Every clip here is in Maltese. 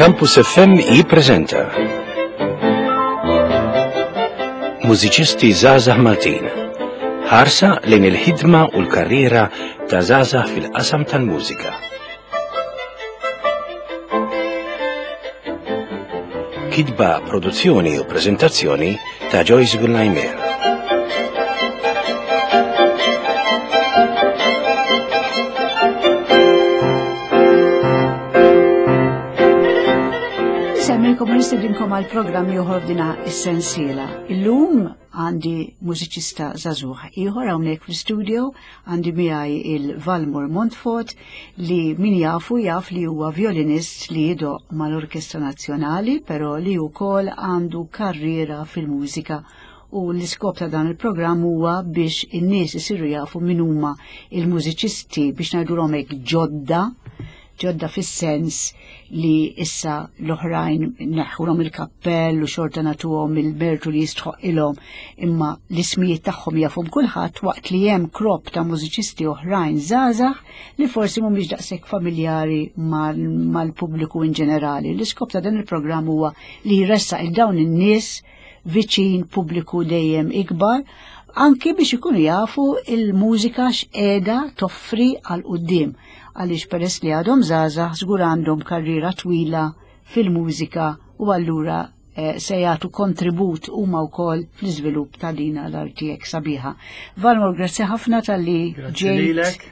Campus FM jippreżenta Mużiċisti Żgħażagħ Maltin. Ħarsa lejn il-ħidma u l-karriera ta' żgħażagħ fil-qasam tal-mużika. Kitba, produzzjoni u preżentazzjoni ta' Joyce Gullajmer. Nsemmilkom u nistedinkom għal programm ieħor f'dina is-sensiela. Illum għandi mużiċista żagħżugħ ieħor hawnhekk fl-istudio għandi miegħi il-Valmor Montfort li min jafu jaf li huwa violinist li jidoq mal-Orkestra Nazzjonali però li wkoll għandu karriera fil-mużika u l-iskop ta' dan il-programm huwa biex in-nies isiru jafu min huma il-mużiċisti biex ngħidulhom hekk ġodda ġodda fis-sens li issa l-oħrajn neħħulhom il-kappell u xorta nagħtuhom il-mertu li jistħoq ilhom imma l-ismijiet tagħhom jafhom kulħadd waqt li hemm krop ta' mużiċisti oħrajn żgħażagħ li forsi mhumiex daqshekk familjari mal-pubbliku in ġenerali. L-iskop ta' dan il-programm huwa li jressaq il dawn in-nies viċin pubbliku dejjem ikbar anki biex ikunu jafu il-mużika x'qiegħda toffri għal quddiem għaliex peress li għadhom żgħażagħ żgur għandhom karriera twila fil-mużika u allura eh, se jagħtu kontribut huma wkoll fl-iżvilupp ta' dina l-arti hekk sabiħa. Valmor, grazzi ħafna talli ġejt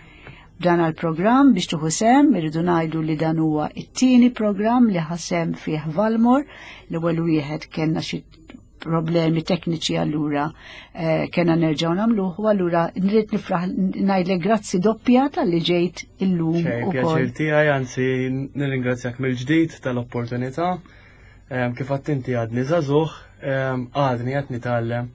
dan għal-programm biex tuħu sem, irridu ngħidu li dan huwa it-tieni programm li ħasem fih Valmor, l-ewwel wieħed kellna xi problemi tekniċi allura eh, kena nerġgħu nagħmluh u allura nrid nifraħ ngħidlek grazzi doppja tal-li ġejt illum ukoll. Pjaċir tiegħi anzi nirringrazzjak mill-ġdid tal-opportunità. Kif għadt inti għadni żagħżugħ, għadni qed nitgħallem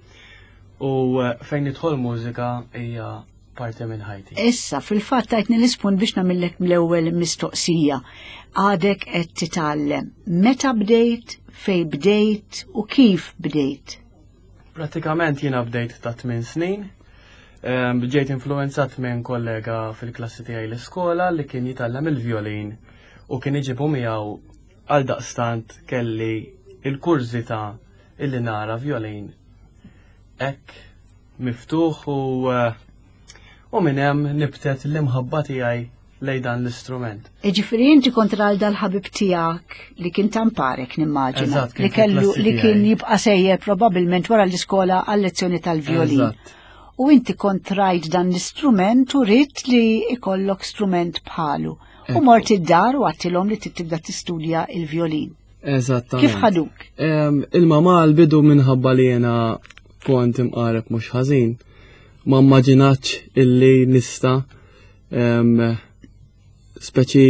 u eh, fejn nidħol mużika hija parti minn ħajti. Issa, fil-fatt tajtni l-ispunt biex nagħmillek mill-ewwel mistoqsija. Għadek qed titgħallem. Meta bdejt, fej bdejt u kif bdejt? Pratikament jiena bdejt ta' 8 snin. Ġejt influenzat minn kollega fil-klassi tiegħi l-iskola li kien jitgħallem il-violin u kien iġibu miegħu għal daqstant kelli il-kurżità illi nara violin hekk miftuħ u eh, u minn hemm nibtet l-imħabba tiegħi lej dan l-istrument. Ġifieri inti kont għal dal-ħabib tiegħek li kien tamparek nimmaġina li kellu li kien jibqa' sejjer probabbilment wara l-iskola għal lezzjoni tal-violin. U inti kont rajt dan l-istrument u ridt li ikollok strument bħalu. U mort id-dar u għattilhom li tibda tistudja il-violin. Eżattament. Kif ħaduk? Il-mama l-bidu minħabba li jena kont imqareb mhux ħażin, ma immaġinatx illi nista speċi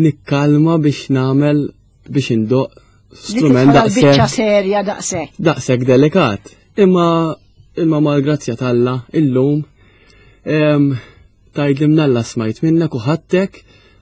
nikkalma biex nagħmel biex indoq strument daqshekk. serja daqshekk. Daqshekk delikat. Imma il-mama l-grazzja talla illum Tgħidli mnalla smajt minnek u ħadtek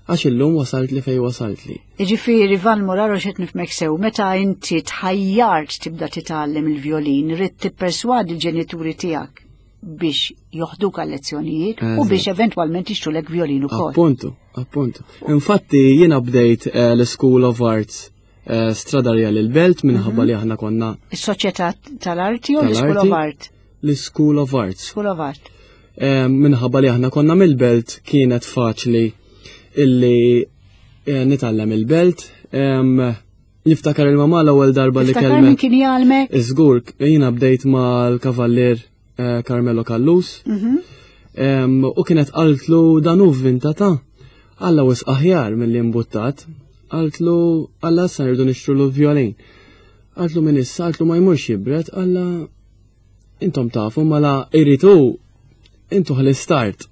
għax illum wasalt li fej wasalt li. Jiġifieri Van Moraro xed nifmek sew, meta inti tħajjart tibda titgħallem il-vjolin, ridt tipperswadi l-ġenituri tiegħek biex joħduk għal lezzjonijiet u biex eventwalment jixtrulek vjolin ukoll. Appuntu, appuntu. Infatti jiena bdejt eh, l-School of Arts eh, Strada Real il-Belt minħabba mhm. li aħna konna. Is-Soċjetà tal-Arti u l-School of Art? L-School of Arts. School of Art. Eh, minħabba li aħna konna mill-belt kienet faċli illi eh, nitgħallem il-belt. Niftakar il-mama l-ewwel darba li kellem. Kien jgħalmek? Iżgur, jiena bdejt mal-kavallier eh, Carmelo Callus. Mhm. U kienet qaltlu dan hu vinta ta' Alla wis aħjar mill-li imbuttat. Qaltlu alla sa rridu nixtru violin. Qaltlu minn issa, qaltlu ma jmurx jibret, alla intom tafu mela irritu intu l-istart.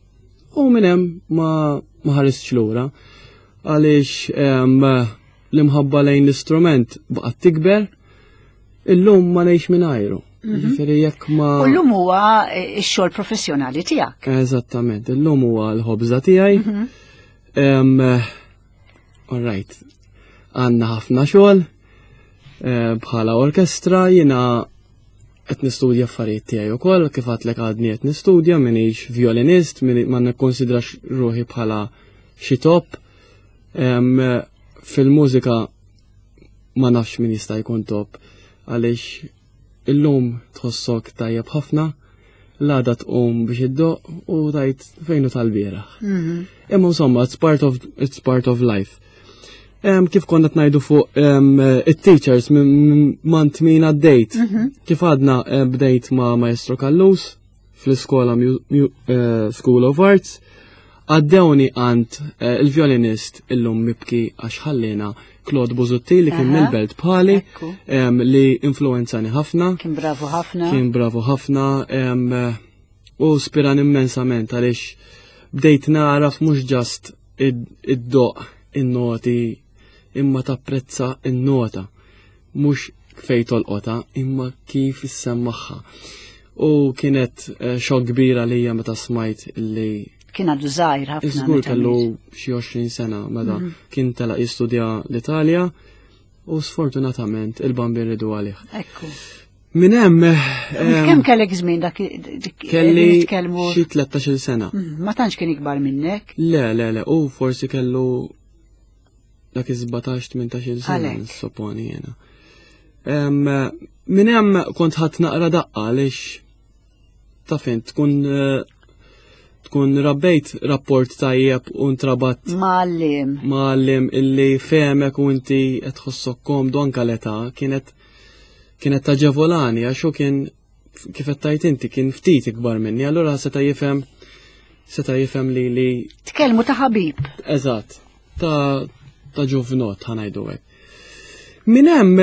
U minn hemm ma ma ħaristx lura għaliex l-imħabba lejn l-istrument baqgħet tikber illum ma ngħix mingħajru. Mhm. Ġifieri jekk ma. U llum huwa eh, x-xogħol professjonali tiegħek. Eżattament, illum huwa l-ħobża tiegħi. Mhm. All right. Għandna ħafna xogħol eh, bħala orkestra jiena qed nistudja affarijiet tiegħi wkoll, kif għadlek għadni qed nistudja, minix violinist, ma nikkonsidrax ruħi bħala xi top. Fil-mużika ma nafx min jista' jkun top għaliex illum tħossok tajjeb ħafna, l-għada tqum biex iddoq u tajt fejnu tal-bieraħ. Imma insomma, it's part of, it's part of life. Kif konna tnajdu fuq it-teachers mant min għaddejt. Kif għadna bdejt ma' Maestro Callus fl-iskola School of Arts, għaddewni għand il-violinist illum mibki għax ħallina Claude Busuttil li kien mill-belt bħali li influenzani ħafna. Kien bravu ħafna. Kien bravu ħafna u spiran immensament għaliex bdejt naraf mhux ġast id-doq in-noti imma tapprezza in-nota mhux fej tolqota imma kif issemmaħħa. U kienet xokk kbira lija meta smajt li kien għadu żgħir ħafna. Żgur kellu xi 20 sena meta kien telaq jistudja l-Italja u sfortunatament il-Bambin ridu għalih. Ekku. Minn hemm Kemm kellek żmien dak kelli xi 13-il sena. Ma tantx kien ikbar minnek? Le, le, le, u forsi kellu dak iż-17-18 sena, supponi jena. Minn hemm kont ħadd naqra daqqa għaliex taf int tkun tkun rabbejt rapport tajjeb u ntrabat Mgħallem. Mgħallem illi fehmek u inti qed tħossok komdu anke l-età kienet kienet taġevolani għax hu kien kif qed tgħid inti kien ftit ikbar minni, allura seta' jifhem seta' jifhem li li Tkellmu ta' ħabib. Eżatt, ta' ta' ġuvnot ħanajdu hekk. Minn hemm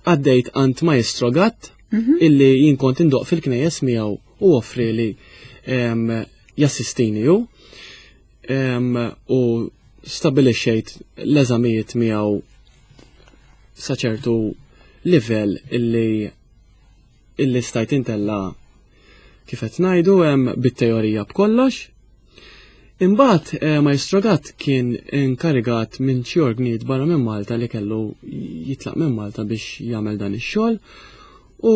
għaddejt għand Maestro Gatt illi jien kont indoq fil-knejjes miegħu u offri li jassistini hu u stabilixxejt l-eżamijiet miegħu sa ċertu livell illi illi stajt intella kif qed ngħidu hemm bit-teorija b'kollox. Imbagħad eh, Maestro Gatt kien inkarigat minn xi orgnijiet barra minn Malta li kellu jitlaq minn Malta biex jagħmel dan ix-xogħol u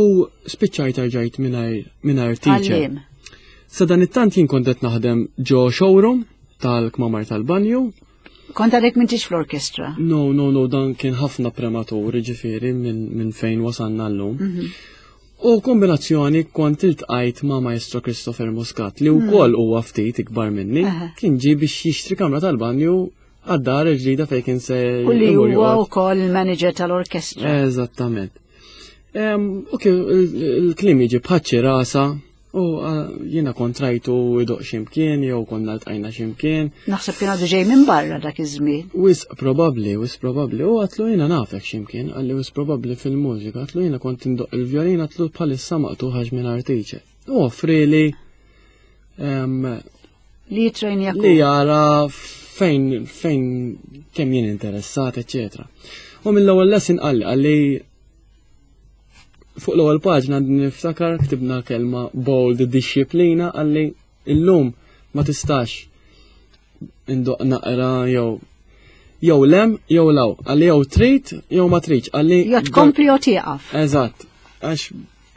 spiċċajt erġajt mingħajr teacher. Sa dan it-tant jien kont qed naħdem ġo showroom tal-kmamar tal-banju. Kont għadek m'intix fl-orkestra? No, no, no, dan kien ħafna prematur, ġifieri minn fejn wasalna llum. U kombinazzjoni kont iltqajt ma' Maestro Christopher Muscat li wkoll huwa ftit ikbar minni, kien ġie biex jixtri kamra tal-banju għad-dar il-ġdida fejn kien se U li huwa wkoll il-manager tal-orkestra. Eżattament. U kien il-kliem jiġi bħaċċi rasa u jiena kont rajtu idoq x'imkien jew konna ltqajna x'imkien. Naħseb kien għadu ġej minn barra dak iż-żmien. Wisq probabbli, wisq probabbli. U għatlu jiena nafek x'imkien, qalli wisq probabbli fil-mużika, għatlu jiena kont indoq il-vjolin, għatlu bħalissa maqtugħ għax mingħajr teacher. U offrili li jitrejnja li jara fejn fejn kemm jien interessat, eċetera. U mill-ewwel lesson qalli qalli fuq l-ewwel paġna niftakar ktibna kelma bold disciplina qalli illum ma tistax indoq naqra jew jew lem jew law qalli jew trid jew ma tridx qalli jew tkompli jew tieqaf. Eżatt, għax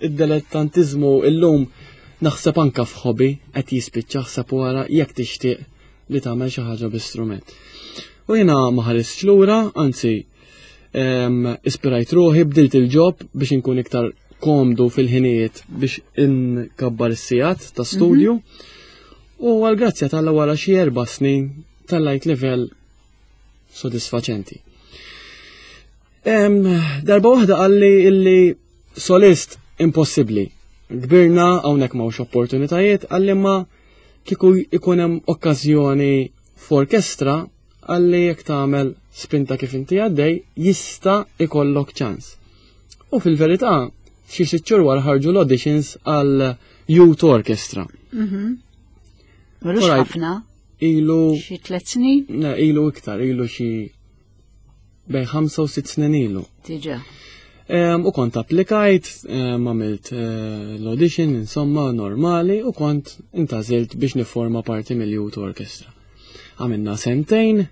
id-dilettantiżmu illum naħseb anka f'hobby qed jispiċċa ħseb wara jekk tixtieq li tagħmel xi ħaġa b'istrument. U jiena ma ħaristx lura, anzi ispirajt ruħi, bdilt il-ġob biex inkun iktar komdu fil-ħinijiet biex inkabbar is-sigħat ta' studju. U għal-grazzja tal wara xi 4 snin tellajt livell sodisfaċenti. Darba waħda qalli illi solist impossibbli. Kbirna hawnhekk m'hawnx opportunitajiet, qalli ma kieku ikun hemm okkażjoni f'orkestra qalli jekk tagħmel spinta kif inti għaddej jista' ikollok ċans. U fil-verità, xi sitt xhur wara ħarġu l-auditions għal Youth Orchestra. M'ilux ħafna. Ilu xi 3 snin? Le, ilu iktar, ilu xi bejn 5 u 6 snin ilu. Diġà. U kont applikajt, għamilt l-audition, insomma, normali, u kont intażilt biex niforma parti mill-Youth Orchestra. Għamilna sentejn,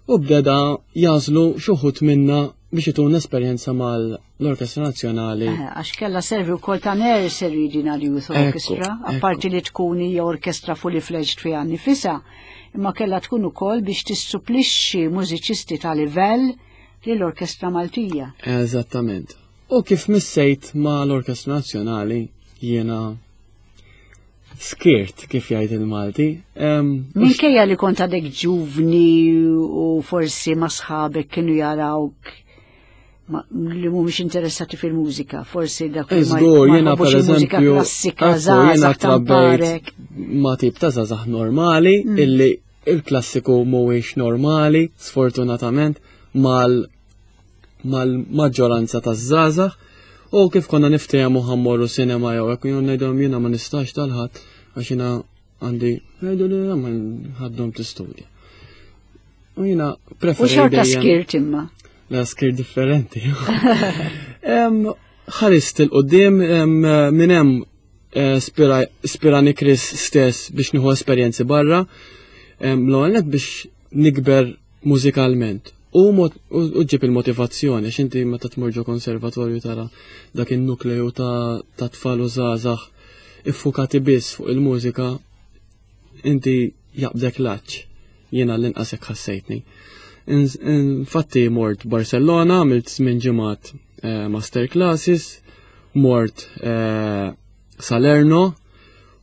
u bdeda jażlu xuħut minna biex itun esperjenza mal-Orkestra Nazzjonali. Eh, għax kella servi wkoll ta' nursery din għal-Youth Orchestra, apparti li tkun hija orkestra fully fledged fiha nifisha, imma kella tkun ukoll biex tissupplixxi mużiċisti ta' livell lill-Orkestra Maltija. Eżattament. U kif missejt ma' l-Orkestra Nazzjonali jiena skirt kif jgħid il-Malti. Minkejja li kont għadek ġuvni u forsi ma sħabek kienu jarawk li mhumiex interessati fil-mużika, forsi dak li ma jiena per eżempju klassika żgħażagħ trabbejt ma tip ta' żgħażagħ normali mm. illi il-klassiku mhuwiex normali, sfortunatament, mal mal-maġġoranza taż-żgħażagħ u kif konna niftehmu ħammorru sinema jew hekk jien ngħidhom jiena ma nistax tal-ħadd għax jiena għandi ngħidu li ma ħaddhom tistudja. U jiena preferi. U xorta skirt imma. La skirt differenti. Ħarist il-qoddim minn hemm eh, spirani Chris stess biex nieħu esperjenzi barra. L-ewwel biex nikber mużikalment u u ġib il-motivazzjoni għax inti meta tmur ġo konservatorju tara dak in-nukleju ta' tfal u żgħażagħ iffukati biss fuq il-mużika inti jaqbdek laċ. Jiena l-inqas hekk ħassejtni. Infatti mort Barcelona, għamilt żmien ġimgħat eh, master classes, mort eh, Salerno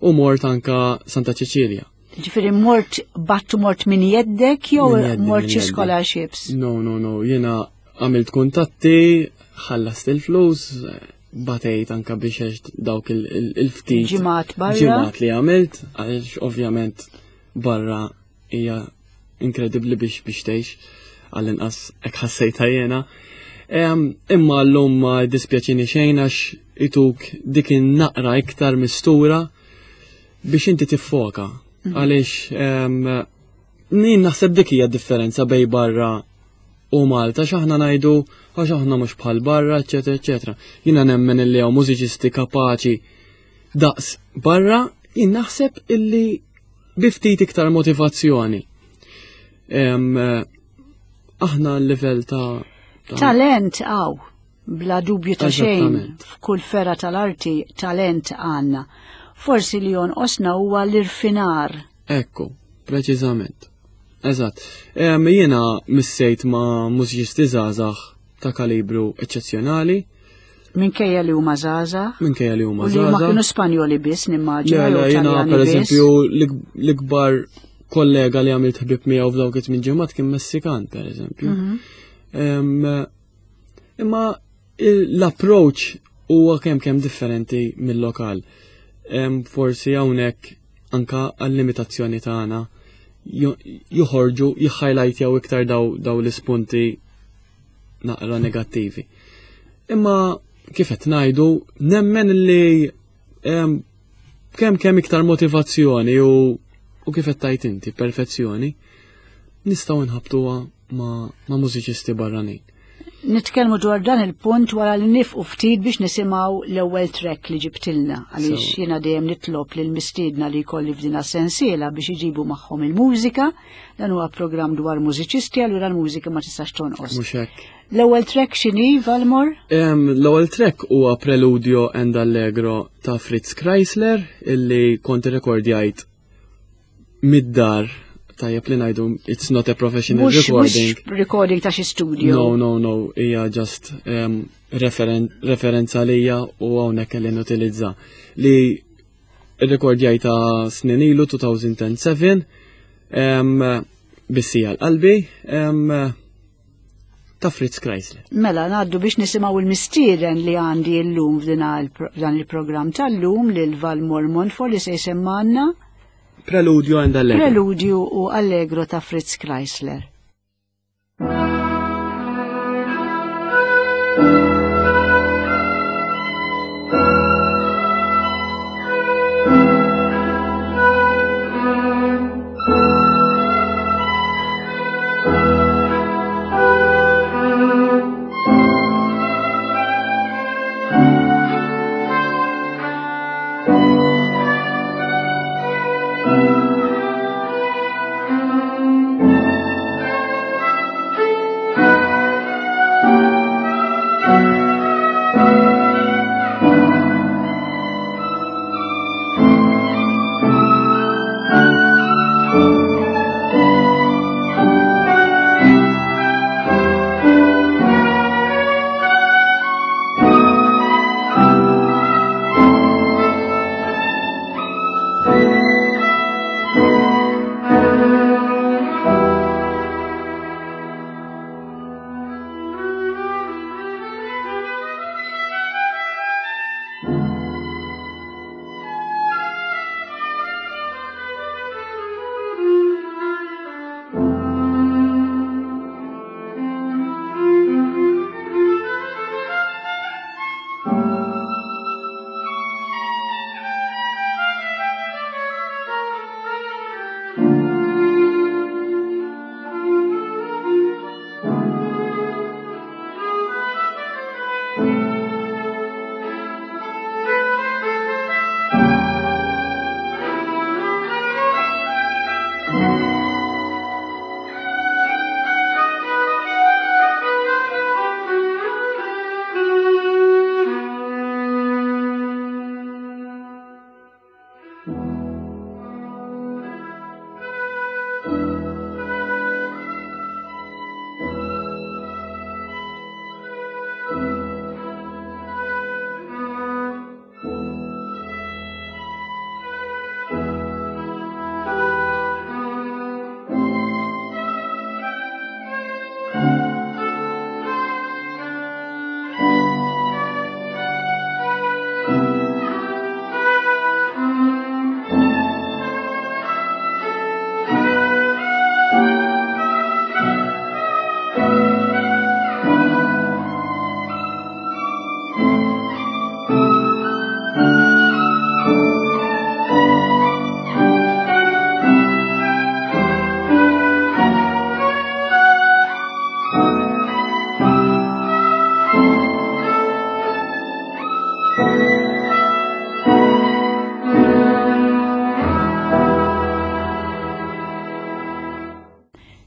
u mort anka Santa Cecilia. Ġifieri mort battu mort minn jeddek jew mort xi scholarships? No, no, no, jiena għamilt kuntatti, ħallast il-flus, batejt anka biex dawk il-ftit. Ġimgħat barra. Ġimgħat li għamilt, għaliex ovvjament barra hija inkredibbli biex biex tgħix għall-inqas hekk ħassejtha jiena. Imma llum ma dispjaċini xejn għax ituk dik in-naqra iktar mistura biex inti tiffoka. Mhm. Għaliex jien naħseb dik hija differenza bej barra u Malta x'aħna ngħidu għax aħna mhux bħal barra, eċetera, eċetera. Jiena nemmen illi hawn mużiċisti kapaċi daqs barra, jien naħseb illi bi ftit iktar motivazzjoni. Aħna l-livell ta' Talent għaw. Bla dubju ta' xejn, f'kull fera tal-arti talent għandna. Forsi li jonqosna huwa l-irfinar. Ekku, preċiżament. Eżatt. Jiena missejt ma' mużiċisti żgħażagħ ta' kalibru eċċezzjonali. Minkejja li huma żgħażagħ? Minkejja li huma żgħażagħ. Li ma kienu Spanjoli biss nimmaġina. Le, jiena pereżempju l-ikbar kollega li għamilt ħbib miegħu f'dawk it-tmien ġimgħat kien Messikan pereżempju. Mhm. Imma l-approach huwa kemm kemm differenti mill-lokal. Forsi hawnhekk anka għall-limitazzjoni tagħna joħorġu jihhighlightjaw iktar daw, daw l-ispunti naqra negattivi. Imma kif qed ngħidu nemmen li kemm kemm iktar motivazzjoni u u kif qed tajt inti perfezzjoni nistgħu nħabtuha ma', ma mużiċisti barranin. Nitkellmu dwar dan il-punt wara li nifqu ftit biex nisimgħu l-ewwel track li ġibtilna għaliex so. jiena dejjem nitlob lil mistiedna li jkolli f'dina sensiela biex iġibu magħhom il-mużika. Dan huwa programm dwar mużiċisti allura l-mużika ma tistax tonqos. Mhux hekk. L-ewwel track x'inhi Valmor? L-ewwel track huwa Preludio and Allegro ta' Fritz Kreisler illi kont irrekordjajt mid-dar tajjeb li ngħidu it's not a professional mux, recording. Mux recording ta' xi studio. No, no, no, hija just um, referen referenza lija u hawnhekk li nutilizza. Li rrekordjajta snin ilu 2007 um, bissija l-qalbi um, ta' Fritz Kreisler. Mela, ngħaddu biex nisimgħu l-mistieden li għandi llum f'dan il-programm tal-lum lil Valmor Montfort li se jsemmanna. Preludio and Allegro. Preludio u Allegro ta' Fritz Kreisler.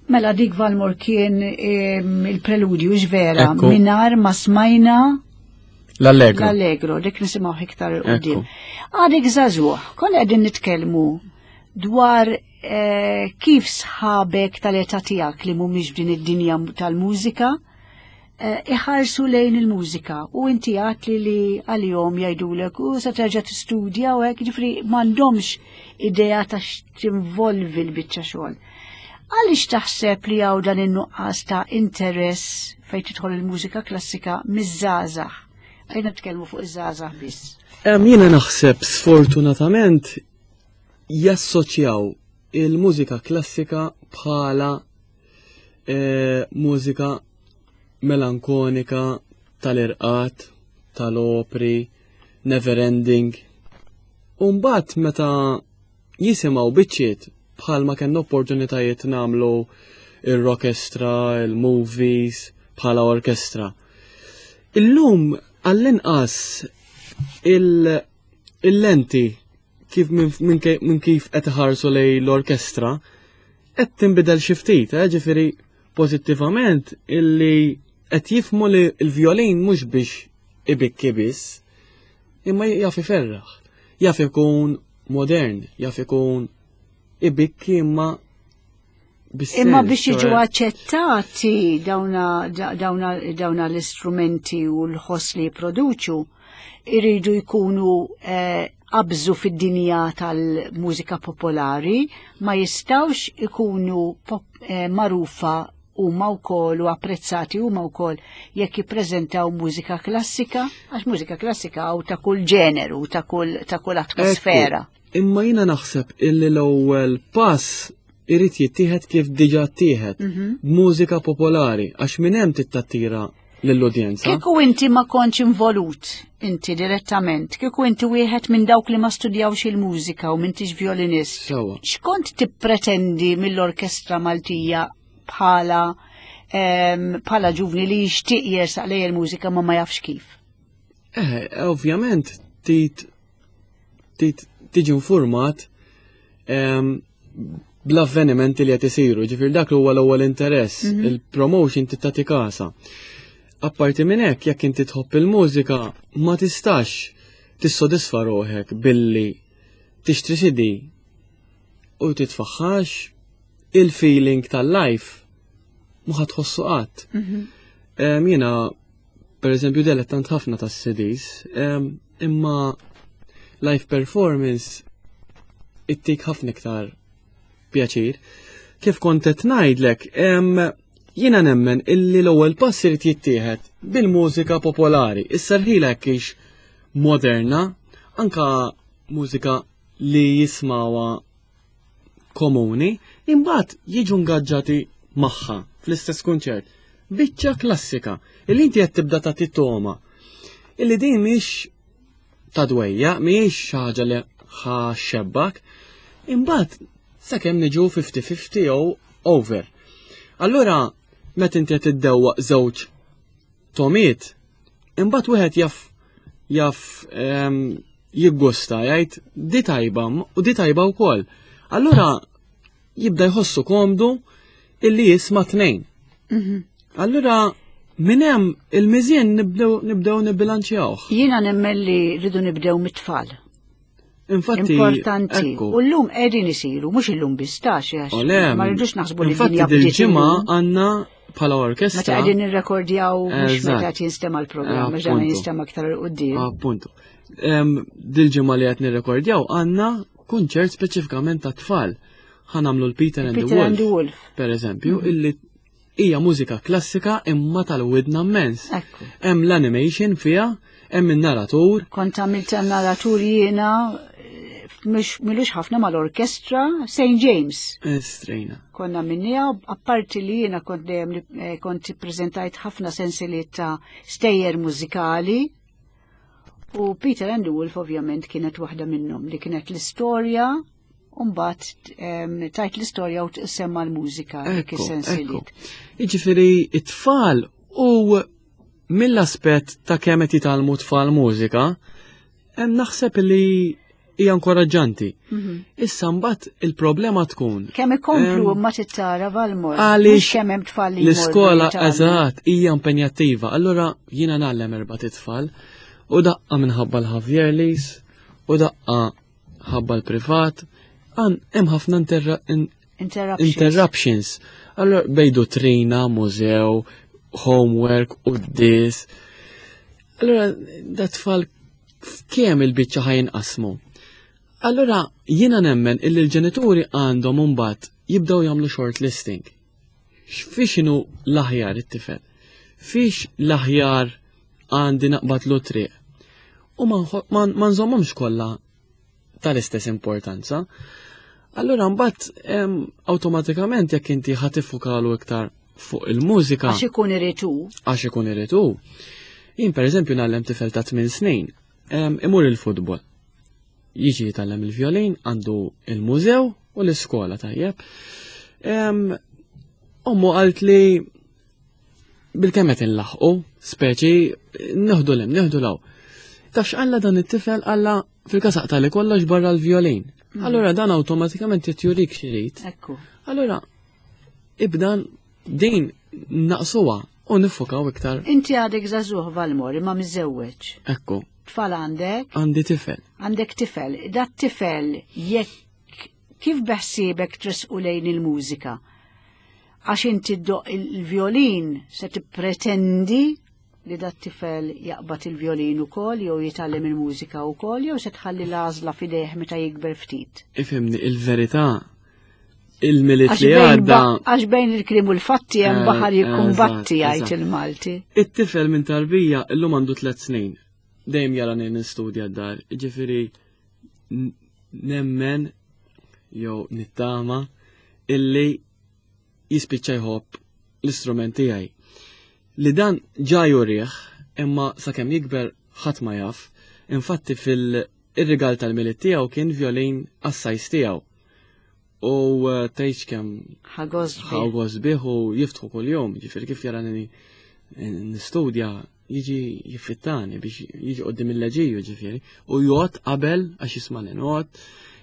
Mela dik Valmor kien il-preludju vera minar ma smajna L-allegro. L-allegro, dik nisimgħu iktar il-qudiem. Għadek żagħżugħ, konna qegħdin nitkellmu dwar eh, kif sħabek tal-età tiegħek li mhumiex f'din id-dinja tal-mużika eh, iħarsu lejn il-mużika u inti għat li li għalihom jgħidulek u se terġa' tistudja u hekk ġifri m'għandhomx idea ta' x'tinvolvi l-biċċa xogħol. Għaliex taħseb li hawn dan in-nuqqas ta' interess fejn tidħol il-mużika klassika miż-żgħażagħ? Għajna nitkellmu fuq iż-żgħażagħ biss. Jiena naħseb sfortunatament jassoċjaw il-mużika klassika bħala eh, mużika melankonika tal-irqat, tal-opri, never ending. Umbat meta jisimgħu biċċiet bħalma kellna opportunitajiet nagħmlu il-rockestra, il-movies, bħala orkestra. Illum għall-inqas il-lenti kif minn kif qed iħarsu lej l-orkestra qed tinbidel xi ftit, eh, ġifieri pożittivament illi qed jifmu li l-vjolin mhux biex ibikki biss, imma jaf iferraħ, jaf ikun modern, jaf ikun ibikki imma Imma biex jiġu aċċettati dawna l-istrumenti u l-ħoss li jipproduċu, iridu jkunu eh, qabżu fid-dinja tal-mużika popolari, ma jistawx ikunu eh, marufa huma wkoll u apprezzati huma wkoll jekk jippreżentaw mużika klassika, għax mużika klassika hawn ta' kull ġeneru, ta' kull ta' kull atmosfera. Imma jiena naħseb illi l-ewwel pass irid jittieħed kif diġà ttieħed mhm. mużika popolari għax minn hemm tittattira lill-udjenza. Kieku inti ma kontx involut inti direttament, kieku inti wieħed minn dawk li ma studjawx il-mużika u m'intix violinist. X'kont tippretendi mill-Orkestra Maltija bħala bħala ġuvni li jixtieq jersaq lejn il-mużika ma ma jafx kif? Eh, ovvjament tit tiġi informat bl-avvenimenti li qed isiru, ġifier dak huwa l-ewwel interess, mhm. il-promotion tagħti kasa. Apparti minn hekk, jekk inti tħobb il-mużika, ma tistax tissodisfa ruħek billi tixtri CD u titfaħħax il-feeling tal-life ma ħatħossu qatt. Mhm. Jiena per eżempju dilettant ħafna tas-CDs, imma live performance ittik ħafna iktar pjaċir. Kif kont qed ngħidlek, jiena nemmen illi l-ewwel pass irid jittieħed bil-mużika popolari. Issa rħila hekk moderna, anka mużika li jismawa komuni, imbagħad jiġu ngaġġati magħha fl-istess kunċert. Biċċa klassika, illi inti qed tibda tagħti toma. Illi din mhix ta' dwejja, mhijiex xi ħaġa li ħaxxebbak, imbagħad sakemm niġu 50-50 jew over. Allura meta inti qed iddewwaq żewġ tomiet, imbagħad wieħed jaf jaf ehm, jiggusta jgħid di tajba u di tajba wkoll. Allura jibda jħossu komdu illi jisma' tnejn. Mhm. Allura minn hemm il-miżien nibdew nibdew nibbilanċjawh. Jiena nemmen li rridu nibdew mit-tfal. Infatti, importanti. U llum qegħdin isiru, mhux illum biss tax għax ma rridux naħsbu li dinja dil-ġimgħa għandna bħala orkestra. Meta qegħdin nirrekordjaw mhux meta qed jinstema' l-programm, għax dan jinstema' aktar 'il quddiem. Appuntu. Dil-ġimgħa li qed nirrekordjaw għandna kunċert speċifikament ta' tfal. Ħanamlu l-Peter and the Wolf, per eżempju, mhm. illi hija mużika klassika imma tal-widna immens. Hemm l-animation fiha, hemm in-naratur. Kont għamilt narratur jiena milux ħafna mal-orkestra St. James. Strejna. Konna minnija, apparti li jiena kont dejjem eh, kont prezentajt ħafna sensiliet ta' stejjer mużikali U Peter and the Wolf ovvjament kienet waħda minnhom li kienet l-istorja u mbagħad tajt l-istorja u semma l-mużika dik is-sensiliet. Jiġifieri it-tfal u mill-aspett ta' kemm qed jitgħallmu tfal mużika, hemm naħseb li hija inkoraġġanti. Issa mbagħad il-problema tkun. Kemm ikomplu ma tittara Valmor. Għaliex kemm hemm tfal li L-iskola eżatt hija impenjattiva. Allura jiena ngħallem erba' titfal u daqqa minħabba l-Javierlis u daqqa ħabba l-privat għan hemm ħafna interruptions. Allura bejdu trina, mużew, homework, u dis. Allura da tfal kemm il-biċċa ħajn qasmu. Allura jiena nemmen illi l-ġenituri għandhom imbagħad jibdew jagħmlu short listing. Fiex inhu l-aħjar it-tifel? Fiex l-aħjar għandi naqbad lu triq? U ma nżommhomx kollha tal-istess importanza. Allura mbagħad awtomatikament jekk inti ħa tiffukalu iktar fuq il-mużika. Għax ikun irid hu. Għax ikun irid hu. Jien pereżempju ngħallem tifel ta' 8 snin, imur il-futbol. Jiġi jitgħallem il-violin, għandu il-mużew u l-iskola tajjeb. Ommu qalt li bil-kemm qed inlaħqu, speċi neħdu lem, neħdu law. Taf x'qalla dan it-tifel qalla fil-kasaq tali kollox barra l-violin. Allura dan awtomatikament qed jurik x'irid. Ekku. Allura ibdan din naqsuha u nifukaw iktar. Inti għadek żagħżugħ Valmor imma miżżewweġ. Ekku. Tfal għandek? Għandi tifel. Għandek tifel. Dat tifel jekk kif beħsiebek tresqu lejn il-mużika? Għax inti ddoq il-violin se tippretendi li dat tifel jaqbad il-violin ukoll jew jitgħallem il-mużika wkoll jew se tħalli l-għażla f'idejh meta jikber ftit. Ifhimni, il-verità il-Milied li għadda. Għax bejn il-kliem u l-fatti hemm baħar jikkumbatti jgħid il-Malti. It-tifel minn tarbija illum għandu 3 snin. Dejjem jara nistudja d-dar, ġifieri nemmen jew nittama illi jispiċċa jħobb l-istrument tiegħi. Li dan ġa jurih, imma sakemm jikber ħadd ma jaf, infatti fil-rigal tal-Milied tiegħu kien violin għas-size tiegħu. U tgħidx kemm ħa gost bih u jiftħu kuljum, ġifieri kif jarani nistudja jiġi jiffittani biex jiġi qoddim il-leġiju ġifieri u jgħod qabel għax jisma' noqgħod.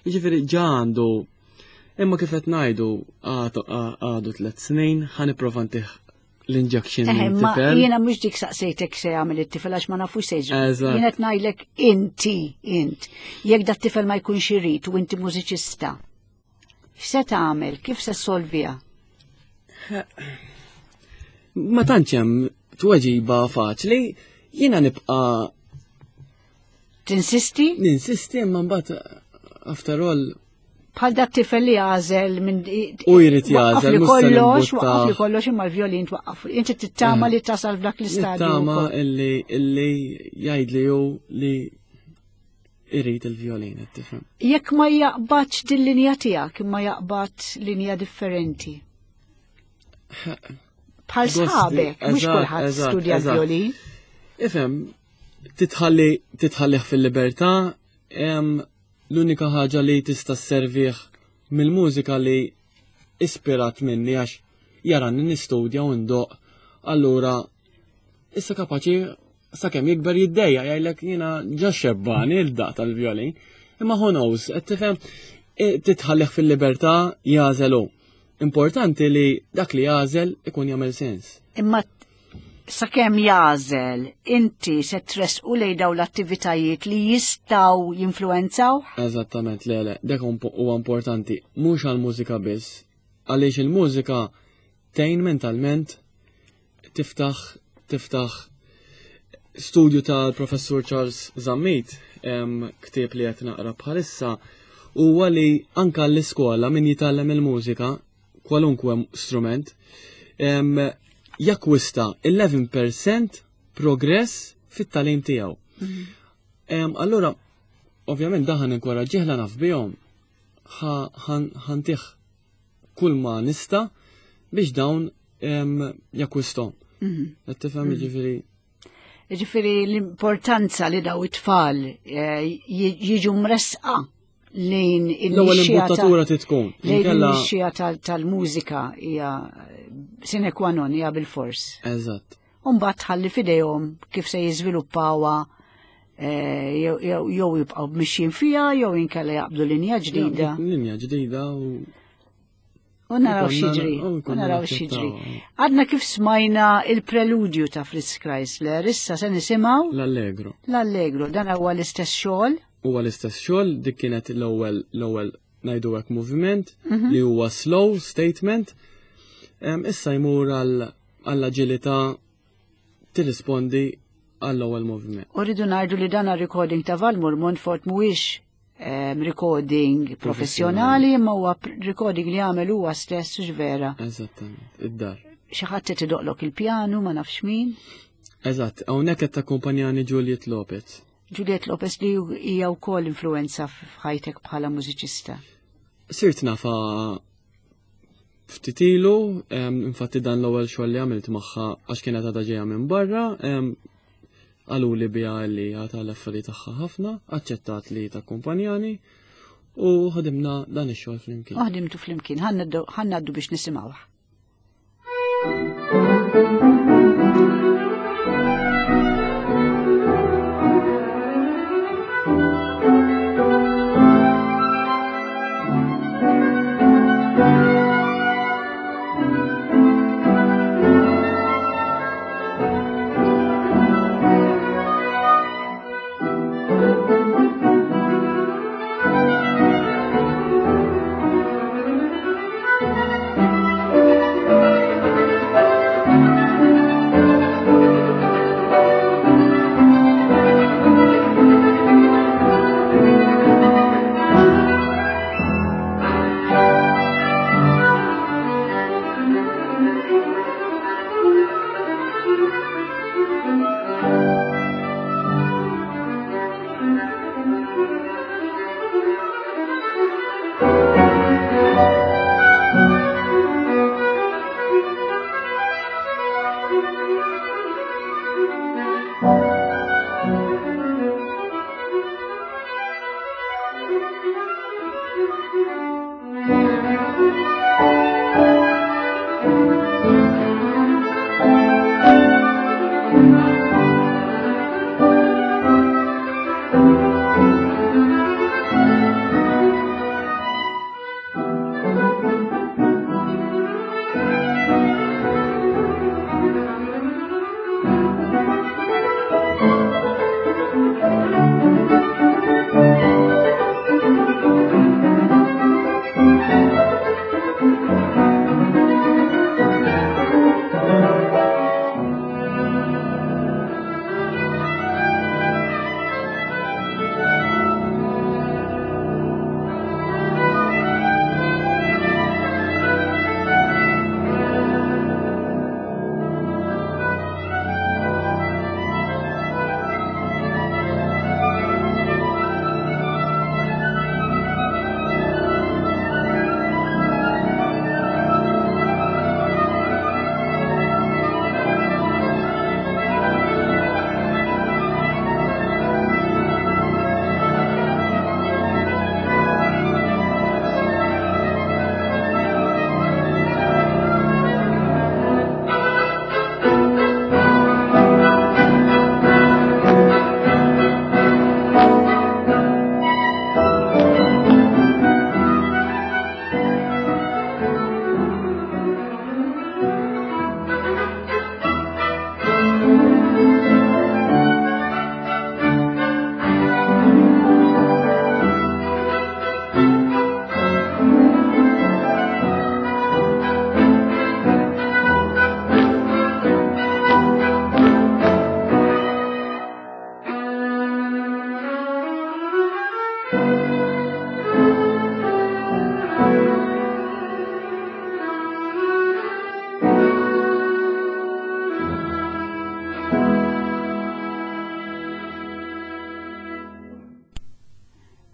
Jiġifieri ġa għandu imma kif qed ngħidu għadu 3 snin ħa nipprova ntih l-injection Ma jiena mhux dik saqsejtek se jagħmel it-tifel għax ma nafux se jiġri. Jien qed ngħidlek inti int. Jekk dat tifel ma jkunx irid u inti mużiċista. X'se tagħmel? Kif se ssolviha? Ma tantx hemm tweġiba faċli, jiena nibqa' Tinsisti? Ninsisti imma mbagħad after all Bħal dak tifel li għażel minn U jrid jagħżel, li mhux se kollox, nimbutta. waqqaf li kollox imma l-violin twaqqaf. Inti tittama li tasal f'dak l-istadju. Nittama wkoll. illi jgħid li hu li irid il-violin, qed tifhem. Jekk ma jaqbadx din linja tiegħek imma jaqbad linja differenti. Bħal Gosti, sħabek, mhux eżatt, kulħadd eżatt, studja eżatt. l-violin. Ifhem, titħalli titħallih fil-libertà, l-unika ħaġa li tista' sservih mill-mużika li ispirat minni għax jarani nistudja u ndoq, allura issa kapaċi sakemm jikber jiddejja jgħidlek jiena ġa xebbani il-daq tal-violin. Imma who knows, qed tifhem titħallih fil-libertà jagħżel hu. Importanti li dak li jagħżel ikun jagħmel sens. Imma sakemm jagħżel, inti se tressqu lejn dawn l-attivitajiet li jistgħu jinfluwenzaw? Eżattament, le, le, dak huwa importanti, mhux għall-mużika biss, għaliex il-mużika tgħin mentalment tiftaħ studju tal-professur Charles Zammit, ktieb li qed naqra bħalissa, huwa li anka l-iskola min jitgħallem il-mużika, kwalunkwe strument, jakkwista 11% progress fit-tagħlim tiegħu. Allura, ovvjament daħan inkoraġġih la naf bihom, ħantih kull ma nista biex dawn jakkwistom. Qed tifhem jiġifieri? Jiġifieri l-importanza li daw it-tfal jiġu mresqa lejn L-ewwel il-nixxija imbuttatura titkun. lejn Inkella il-nixxija tal-mużika hija sine qua non, hija bil-fors. Eżatt. U mbagħad tħalli f'idejhom kif se jiżviluppawha. Eh, jew jibqgħu mixjin fiha jew inkella jaqbdu linja ġdida. Linja ġdida u U naraw x'jiġri, u naraw x'jiġri. Għadna kif smajna il-preludju ta' Fritz Chrysler, issa se nisimgħu l-Allegro. L-Allegro, dan huwa l-istess xogħol. Huwa l-istess xogħol, dik kienet l-ewwel l-ewwel ngħidu hekk moviment mhm. li huwa slow statement. Issa jmur għall-aġilità tirrispondi għall-ewwel moviment. U rridu ngħidu li dan recording ta' Valmur Montfort mhuwiex recording professjonali imma huwa recording li għamel huwa stess u vera. Eżattament, id-dar. Xi ħadd qed idoqlok il-pjanu ma nafx min. Eżatt, hawnhekk qed takkumpanjani Juliet Lopez. Juliet Lopez li hija wkoll influenza f'ħajtek bħala mużiċista. Sirt nafa ftit ilu, infatti dan l-ewwel xogħol li għamilt magħha għax kienet għadha ġejja minn barra, qaluli biha li għata l-affari tagħha ħafna, aċċettat li takkumpanjani u ħadimna dan ix-xogħol flimkien. U ħdimtu flimkien, ħannaddu biex nisimgħuh.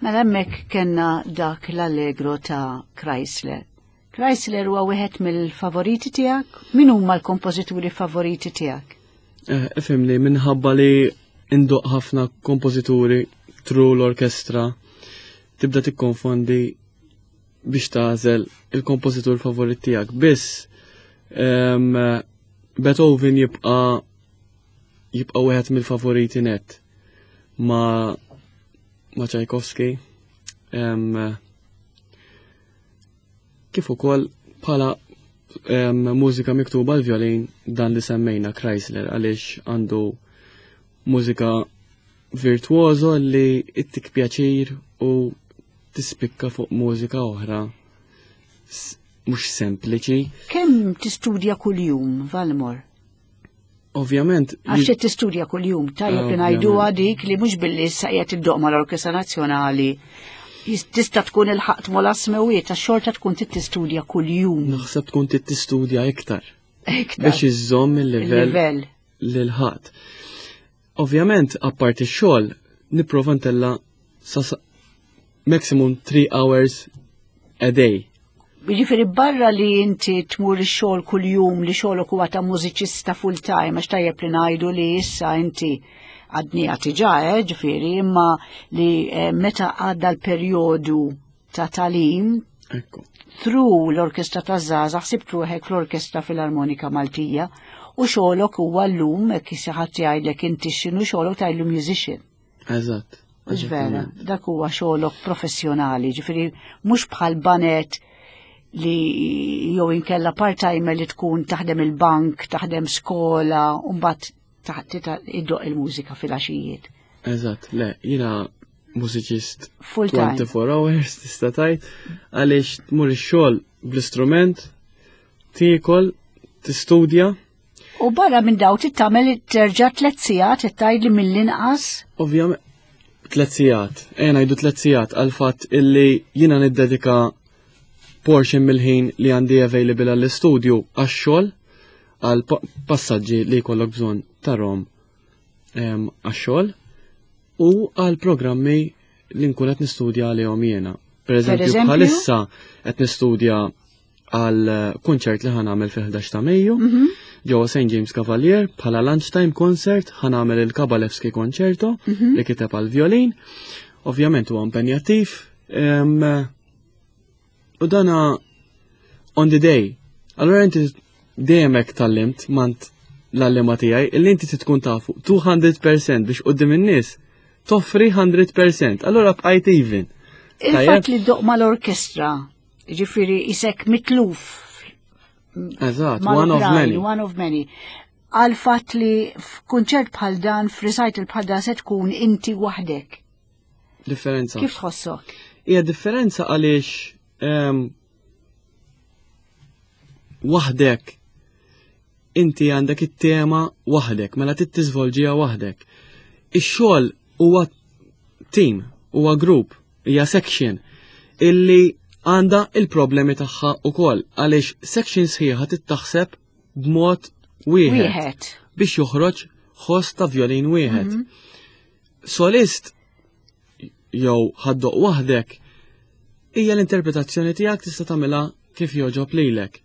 Mela hemmhekk kellna dak l-Allegro ta' Chrysler. Chrysler huwa wieħed mill-favoriti tiegħek? Min huma l-kompożituri favoriti tiegħek? Eh, ifhimni, minħabba li indoq ħafna kompożituri tru l-orkestra tibda tikkonfondi biex tagħżel il-kompożitur favorit tiegħek. Biss Beethoven jibqa' jibqa' wieħed mill-favoriti net. ma ma Tchaikovsky kif ukoll bħala mużika miktuba l-violin dan li semmejna Chrysler għaliex għandu mużika virtuoso li ittik pjaċir u tispikka fuq mużika oħra mhux sempliċi. Kemm tistudja kuljum, Valmor? Ovvjament. Għax qed tistudja kuljum, tajjeb li ngħiduha dik li mhux billi issa qiegħed iddoq mal-Orkestra Nazzjonali tista' tkun il-ħaqt mola smewiet għax xorta tkun trid tistudja kuljum. Naħseb tkun trid tistudja iktar. Iktar. Biex iżżomm il-livell lil ħadd. Ovvjament, apparti x-xogħol, nipprova ntella sa maximum 3 hours a day. Jiġifieri barra li inti tmur ix-xogħol kuljum li xogħolok huwa ta' mużiċista full time għax tajjeb li ngħidu li issa inti għadni diġà, eh, ġifieri, imma li eh, meta għadda l-perjodu ta' talim through l-Orkestra ta' Zaza ħsibt ruħek fl-Orkestra Filarmonika Maltija u xogħolok huwa llum hekk xi ħadd jgħidlek inti x'inhu xogħolok tgħidlu musician. Eżatt. Mhux vera, dak huwa xogħolok professjonali, ġifieri mhux bħal banet li jew inkella part-timer li tkun taħdem il-bank, taħdem skola, u mbagħad iddoq il-mużika fil-għaxijiet. Eżatt, le, jiena mużiċist 24 hours tista' tgħid għaliex tmur ix-xogħol bl-istrument, tiekol, tistudja, U barra minn daw tittamel terġa' tliet sigħat qed tgħidli mill-inqas? Ovvjament tliet sigħat. Ejja ngħidu tliet sigħat għal fatt illi jiena niddedika portion mill-ħin li għandi available għall-istudju għax-xogħol għal passaġġi li jkollok bżonn tarhom għax-xogħol u għal programmi li nkun qed nistudja għalihom jiena. Per eżempju, bħalissa qed nistudja għal kunċert li ħanamel fil-11 ta' Mejju mhm. ġewwa St. James Cavalier bħala lunchtime concert ħanamel il-Kabalewski Concerto mhm. li kiteb għal violin. Ovvjament huwa impenjattiv. U dana on the day. Allora inti dejjem hekk tallimt mant l-allema tiegħi illi inti tkun tafu 200% biex qudiem in-nies toffri 100%. Allora bqajt even. Il-fatt li doq mal-orkestra Ġifiri, isek mitluf. Eżatt, one of many. One of many. Għal fatt li f'kunċert bħal dan, f'recital bħal dan se tkun inti waħdek. Differenza. Kif tħossok? Hija differenza għaliex ehm, waħdek inti għandek it-tema waħdek, mela trid tiżvolġiha waħdek. Ix-xogħol huwa team, huwa grupp, hija section illi għandha il-problemi tagħha ukoll għaliex section sħiħa tittaħseb b'mod wieħed biex joħroġ ħoss ta' violin wieħed. Mm -hmm. Solist jew ħaddoq waħdek hija l-interpretazzjoni tiegħek tista' tagħmilha kif jogħġob lilek.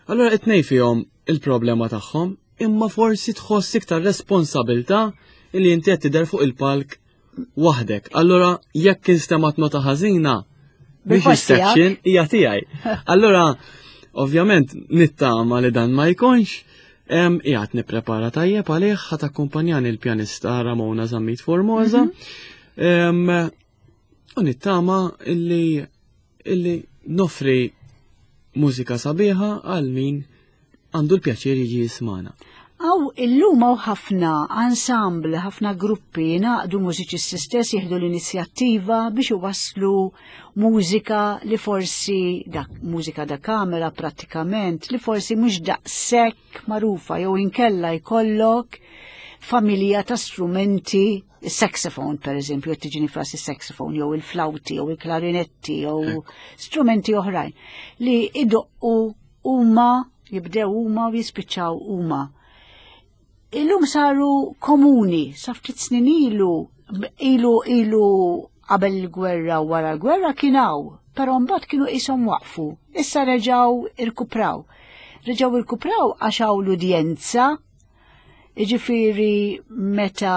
Allura it-tnej fihom il-problema tagħhom, imma forsi tħoss iktar responsabilta li inti qed tidher fuq il-palk waħdek. Allura jekk instemat nota ħażina, biex is-section hija tiegħi. Allura ovvjament nittama li dan ma jkunx, qiegħed nipprepara tajjeb għalih ħadd akkumpanjani l-pjanista Ramona Zammit Formosa. Mhm. U nittama illi illi nofri mużika sabiħa għal min għandu l-pjaċir jiġi jismana. Aw illum hawn ħafna ensemble, ħafna gruppi jingħaqdu mużiċisti stess jieħdu l-inizjattiva biex iwasslu mużika li forsi dak mużika da kamera prattikament li forsi mhux daqshekk magħrufa jew inkella jkollok familja ta' strumenti il-saxophone per eżempju, qed tiġini fras il-saxophone jew il-flawti jew il-klarinetti jew strumenti oħrajn li idoqqu huma jibdew huma u jispiċċaw huma. Illum saru komuni, sa ftit snin ilu, ilu ilu qabel il-gwerra u wara l-gwerra kien hawn, però mbagħad kienu qishom waqfu. Issa reġgħu irkupraw. Reġgħu irkupraw għax hawn l-udjenza Jiġifieri meta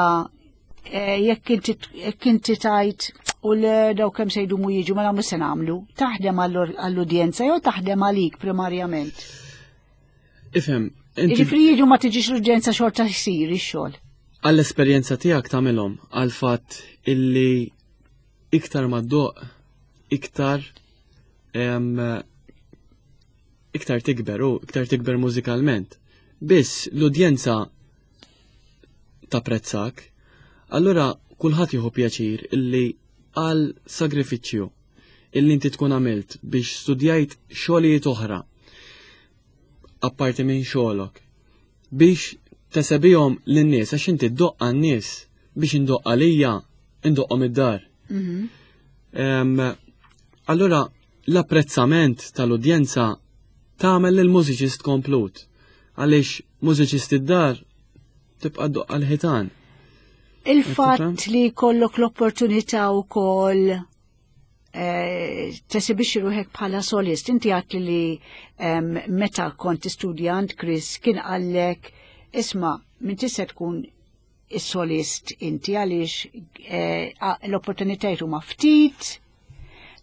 eh, jekk inti tajt u l daw kemm se jdumu jiġu mela mhux se nagħmlu. Taħdem għall-udjenza jew taħdem għalik primarjament? Ifhem. Jiġifieri jiġu ma tiġix l-udjenza xorta jsir ix-xogħol. Għall-esperjenza tiegħek tagħmilhom għall-fatt illi iktar ma ddoq iktar iktar tikber u iktar tikber mużikalment. Biss l-udjenza tapprezzak, allura kulħadd jieħu pjaċir illi għal sagrifiċċju illi inti tkun għamilt biex studjajt xogħlijiet oħra apparti minn xogħolok biex tesebihom lin-nies għax inti ddoqq għan-nies biex indoqq għalija indoqqhom id-dar. Mhm. Allura l-apprezzament tal-udjenza tagħmel lil mużiċist komplut għaliex mużiċist id-dar tibqa' ddoqq għal-ħitan. Il-fatt li kollok l-opportunità wkoll eh, tesibixxi ruħek bħala solist. Inti għat li meta kont studjant Chris kien qallek isma' minn tista' tkun is-solist inti għaliex eh, l-opportunitajiet huma ftit,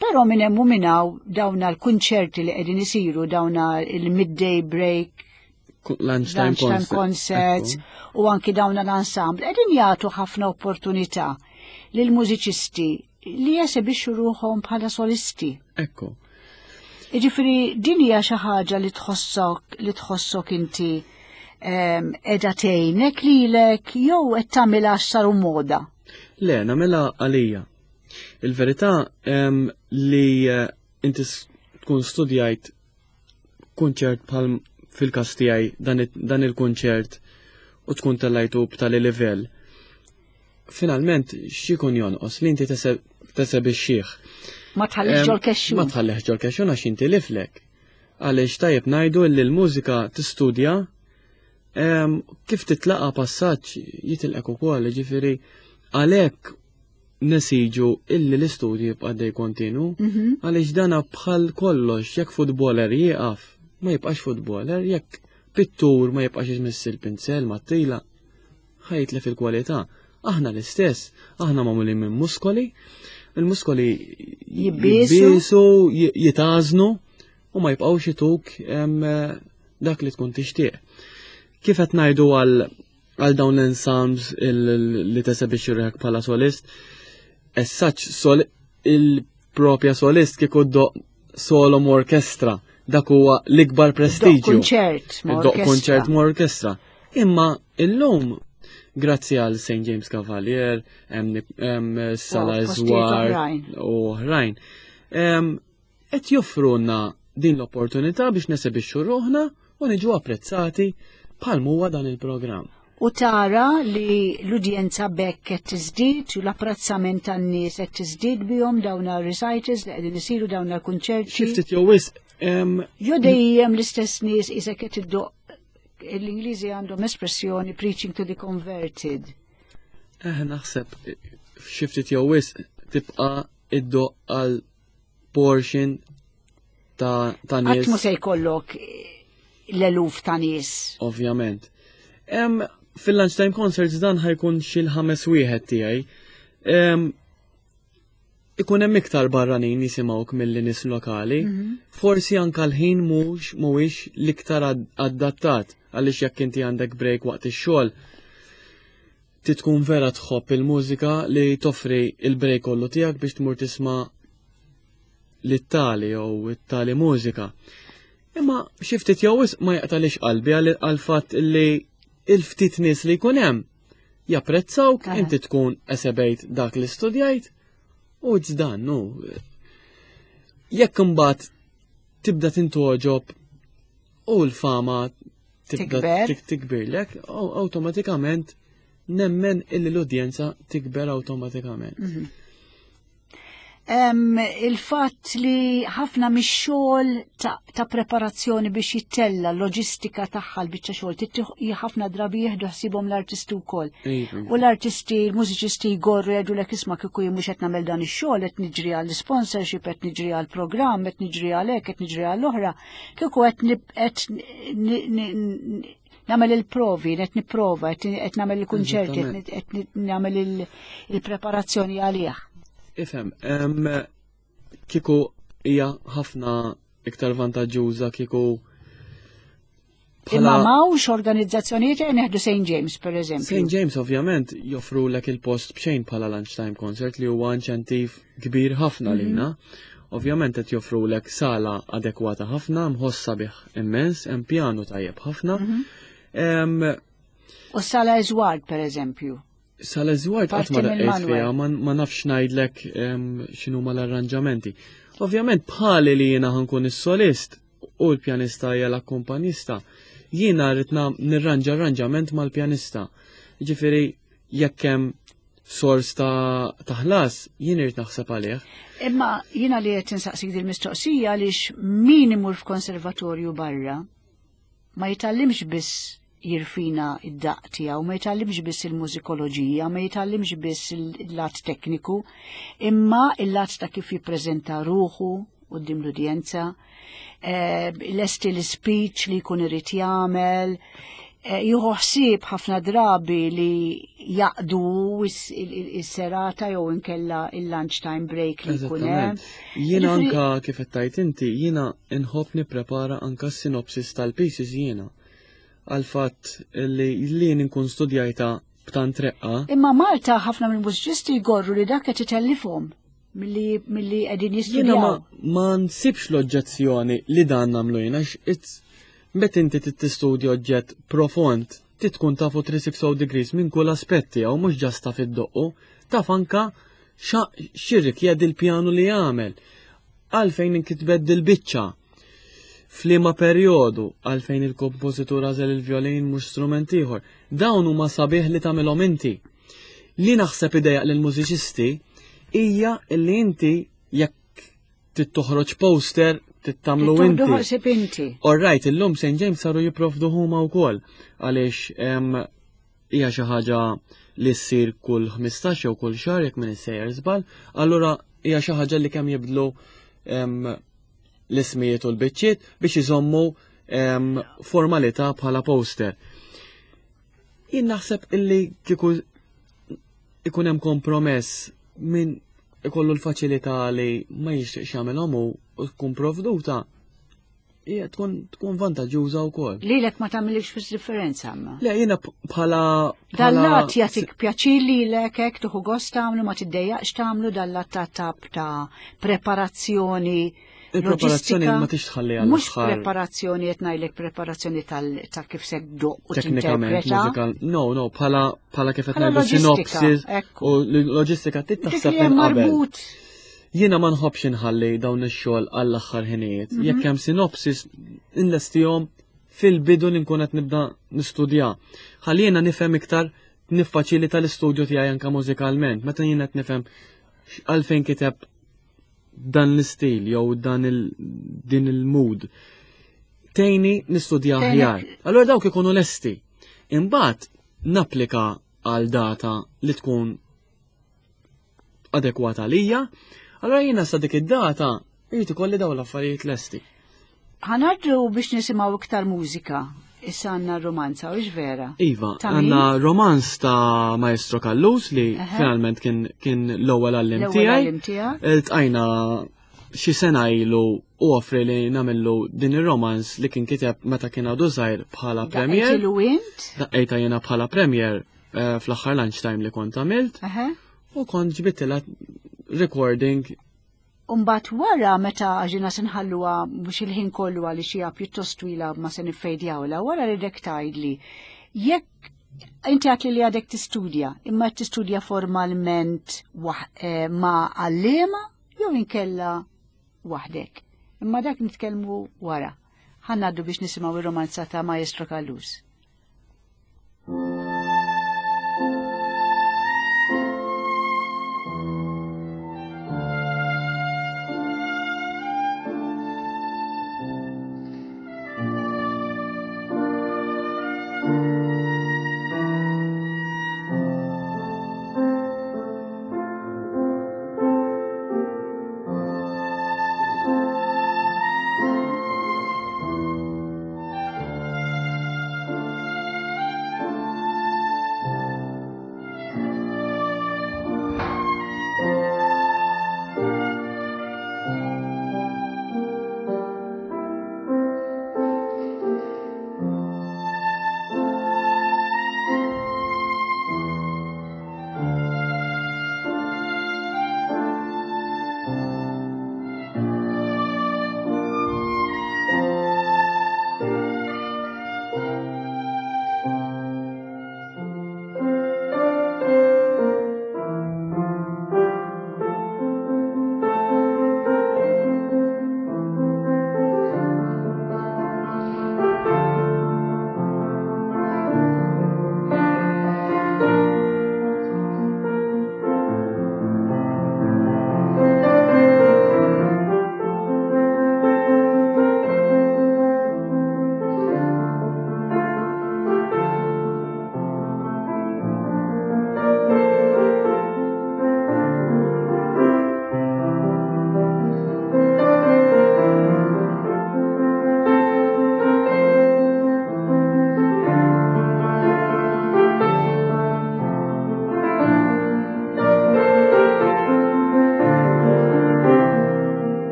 però minn hemm u minn hawn dawna l-kunċerti li qegħdin isiru dawna il-midday break lunchtime, lunchtime concerts u anki dawna l-ensemble qegħdin jagħtu ħafna opportunità lil mużiċisti li jesebixxu ruħhom bħala solisti. Ekku. Jiġifieri din hija xi ħaġa li tħossok li tħossok inti qiegħda tgħinek lilek jew qed tagħmilha għax saru moda. Le, nagħmilha għalija. Il-verità li eh, inti tkun studjajt kunċert bħal fil-każ tiegħi dan il-kunċert u tkun tellajtu b'tali livell. Finalment x'ikun jonqos li inti tesebixxih. Ma tħallix ġol kexxun. Ma tħallix ġol kexxun għax inti liflek. Għaliex tajjeb ngħidu li l-mużika tistudja kif titlaqa passaġġ jitilqek ukoll, ġifieri għalhekk nesiġu illi l-istudju jibqa' dej kontinu, mhm. għaliex dana bħal kollox, jekk futboler jieqaf, ma jibqax futboler, jekk pittur ma jibqax jismiss il-pinsel ma tila, ħajtlef il-kwalità. Aħna l-istess, aħna magħmulin minn muskoli, il-muskoli jibbisu, jitażnu u ma jibqgħux ituk dak li tkun tixtieq. Kif qed ngħidu għal għal dawn l-ensembles li tesebixxi ruħek bħala solist, as such sol il-propja solist kieku doq solo orkestra, dak huwa l-ikbar prestiġju. Konċert, Doq konċert ma' orkestra. Imma illum grazzi għal St. James Cavalier, hemm Sala Zwar u oħrajn. Qed joffrulna din l-opportunità biex nesebixxu ruħna u niġu apprezzati bħal huwa dan il-programm. U tara li l-udjenza bekk qed tiżdied u l-apprezzament tan-nies qed tiżdied bihom dawn recitals li qegħdin isiru dawn il-kunċerti. Xi ftit jew wisq. Jo dejjem l-istess nies isek qed iddoq l-Ingliżi għandhom espressjoni preaching to the converted. Eh naħseb xi ftit jew wisq tibqa' iddoq għal portion ta', ta nies. Qatt se jkollok l-eluf ta' nies. Ovvjament. Fil-lunchtime concerts dan ħajkun xi l-ħames wieħed tiegħi. Ikun hemm iktar barranin jisimgħuk milli nies lokali. Mhm. Forsi anka l-ħin mhux mhuwiex l-iktar adattat għaliex jekk inti għandek break waqt ix-xogħol Ti tkun vera tħobb il-mużika li toffri il-break kollu tiegħek biex tmur tisma' lit-tali jew it-tali mużika. Imma xi ftit jew wisq ma jaqtalix qalbi għal fatt li il-ftit nies li jkun hemm japprezzawk, inti tkun esebejt dak li studjajt u ġdan, nu. Jekk imbagħad tibda tintoġob u l-fama tibda tikbirlek, awtomatikament nemmen illi l-udjenza tikber awtomatikament. Mhm. Il-fatt li ħafna mix-xogħol ta', ta preparazzjoni biex jittella l-loġistika tagħha l-biċċa xogħol ħafna drabi jieħdu ħsibhom l-artisti wkoll. Iva. U l-artisti, l-mużiċisti jgorru jgħidu lek isma' kieku jien mhux qed nagħmel dan ix-xogħol qed niġri għall-sponsorship, qed niġri għall-programm, qed niġri għal hekk, qed niġri għall-oħra. Kieku qed nagħmel il-provi, qed nipprova, qed nagħmel il-kunċerti, qed nagħmel il-preparazzjoni għalih. Ifhem, kieku hija ħafna iktar vantaġġuża kieku Imma m'hawnx organizzazzjonijiet qed neħdu St. James per eżempju. St. James ovvjament joffrulek il-post b'xejn bħala lunchtime concert li huwa inċentiv kbir ħafna mhm. lina. Ovvjament qed joffrulek sala adekwata ħafna, mħoss sabiħ immens, hemm pjanu tajjeb ħafna. Mhm. U sala Eżward per eżempju. Sala Eżward qatt ma daqqejt fiha, ma nafx ngħidlek x'inhuma l-arranġamenti. Ovvjament bħali li jiena ħankun is-solist u l-pjanista hija l-akkumpanista, jiena rrid nirranġa arranġament mal-pjanista. Ġifieri jekk hemm sors ta' ħlas, jien irid naħseb għalih. Imma jiena li qed insaqsik din mistoqsija għaliex min imur f'konservatorju barra ma jitgħallimx biss jirfina id-daqq tiegħu, ma jitgħallimx biss il-mużikoloġija, ma jitgħallimx biss il-lat tekniku, imma il-lat ta' kif jippreżenta ruħu quddiem l-udjenza, eh, lesti l-speech li jkun irid jagħmel, eh, jieħu ħsieb ħafna drabi li jaqdu is-serata jew inkella il-lunch time break li jkun hemm. Jiena anka kif qed tgħid inti, jiena nħobb nipprepara anka s-sinopsis tal-pieces jiena għal fatt li jien inkun studjajta b'tant reqqa. Imma Malta ħafna mill-mużiċisti jgorru li dak qed itellifhom milli milli qegħdin jistudjaw. Jiena ma nsibx l-oġġezzjoni li dan nagħmlu jiena għax meta inti tistudja oġġett profond trid tkun tafu 360 degrees minn kull aspett tiegħu mhux ġast taf iddoqqu, taf anka x'irrikjedi l-pjanu li jagħmel. Għalfejn inkitbet dil-biċċa. F'liema perjodu, għalfejn il-kompożitur għażel il-vjolin mhux strument ieħor. Dawn huma sabiħ li tagħmilhom inti. Li naħseb idejaq lill-mużiċisti hija li inti jekk trid toħroġ poster trid tagħmlu inti. ħsib inti. All right, illum St. James saru jipprovdu huma wkoll għaliex hija xi ħaġa li ssir kull 15 jew kull xahar jekk min issejjer żball, allura hija xi ħaġa li kemm jibdlu l-ismijiet u l-biċċiet biex iżommu formalità bħala poster. Jien naħseb illi kieku ikun hemm kompromess minn ikollu l-faċilità li ma jixtieqx jagħmilhom u tkun provduta, hija tkun tkun vantaġġuża wkoll. Lilek ma tagħmilx fis differenza imma. Le jiena bħala Dal-lat jagħtik pjaċir lilek hekk tieħu gost tagħmlu ma tiddejjaqx tagħmlu dal-lat ta' tab ta' preparazzjoni. Il-preparazzjoni ma tix tħalli għal Mhux preparazzjoni qed ngħidlek preparazzjoni tal ta' kif se ddoq u Teknikament mużikal. No, no, bħala bħala kif qed ngħidu sinopsis u loġistika trid taħseb minn qabel. Jiena ma nħobbx inħalli dawn ix-xogħol għall-aħħar ħinijiet. Mhm. Jekk hemm sinopsis inlestihom fil-bidu li nkun qed nibda nistudja. Ħalli jiena nifhem iktar niffaċilita l-istudju tiegħi anke mużikalment. Meta jiena qed nifhem għalfejn kiteb dan l-istil jew dan il din il-mood. Tejni nistudja aħjar. Allura dawk ikunu lesti. Imbagħad napplika għal data li tkun adekwata għalija, allura jiena sa dik id-data jrid ikolli dawn l-affarijiet lesti. Ħanaddu biex nisimgħu iktar mużika. Issa għandna romanza, u vera? Iva, għandna romanz ta' Maestro Callus li finalment kien, kien l-ewwel għallim tiegħi. Iltqajna xi sena ilu u offri li nagħmillu din ir-romanz li kien kiteb meta kien għadu żgħir bħala premier. Daqqejta jiena bħala premier eh, fl-aħħar lunchtime li kont għamilt. U kont ġbittilha recording Umbat wara meta ġina se nħalluha mhux il-ħin kollu għaliex hija pjuttost twila ma se niffejdjawla, wara li dek tgħidli jekk inti għatli li għadek tistudja, imma tistudja formalment eh, ma' għalliema jew inkella waħdek. Imma dak nitkellmu wara. Ħanaddu biex nisimgħu ir-romanza ta' Maestro Callus.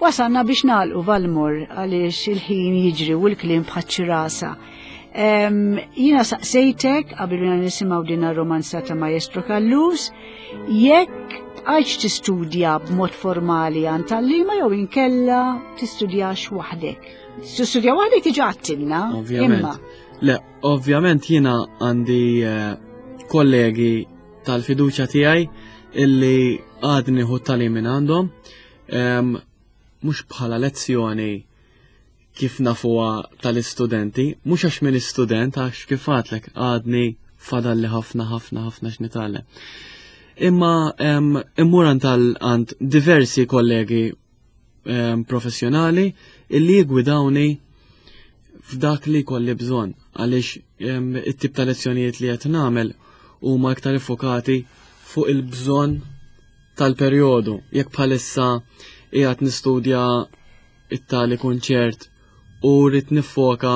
Wasalna biex nagħlqu Valmor għaliex il-ħin jiġri u l-kliem bħaċ-ċirasa. Jiena saqsejtek qabel ma nisimgħu din ar-romanza ta' Maestro Callus jekk bqajtx tistudja b'mod formali għand tgħalliema jew inkella tistudjax waħdek. Tistudja waħdek diġà għedtilna. Ovvjament. Le, ovvjament jiena għandi eh, kollegi tal-fiduċja tiegħi illi għadni hu tagħlim minn għandhom. Mhux bħala lezzjoni kif nafuha tal-istudenti, mhux għax minn istudent, għax kif għadlek għadni fadalli ħafna ħafna ħafna x'nitgħallem. Imma immur għand diversi kollegi professjonali illi jigwidawni f'dak li kolli bżonn għaliex it-tip ta' lezzjonijiet li qed nagħmel huma iktar iffokati fuq il-bżonn tal-perjodu. Jekk bħalissa qiegħed nistudja it-tali kunċert u rrid niffoka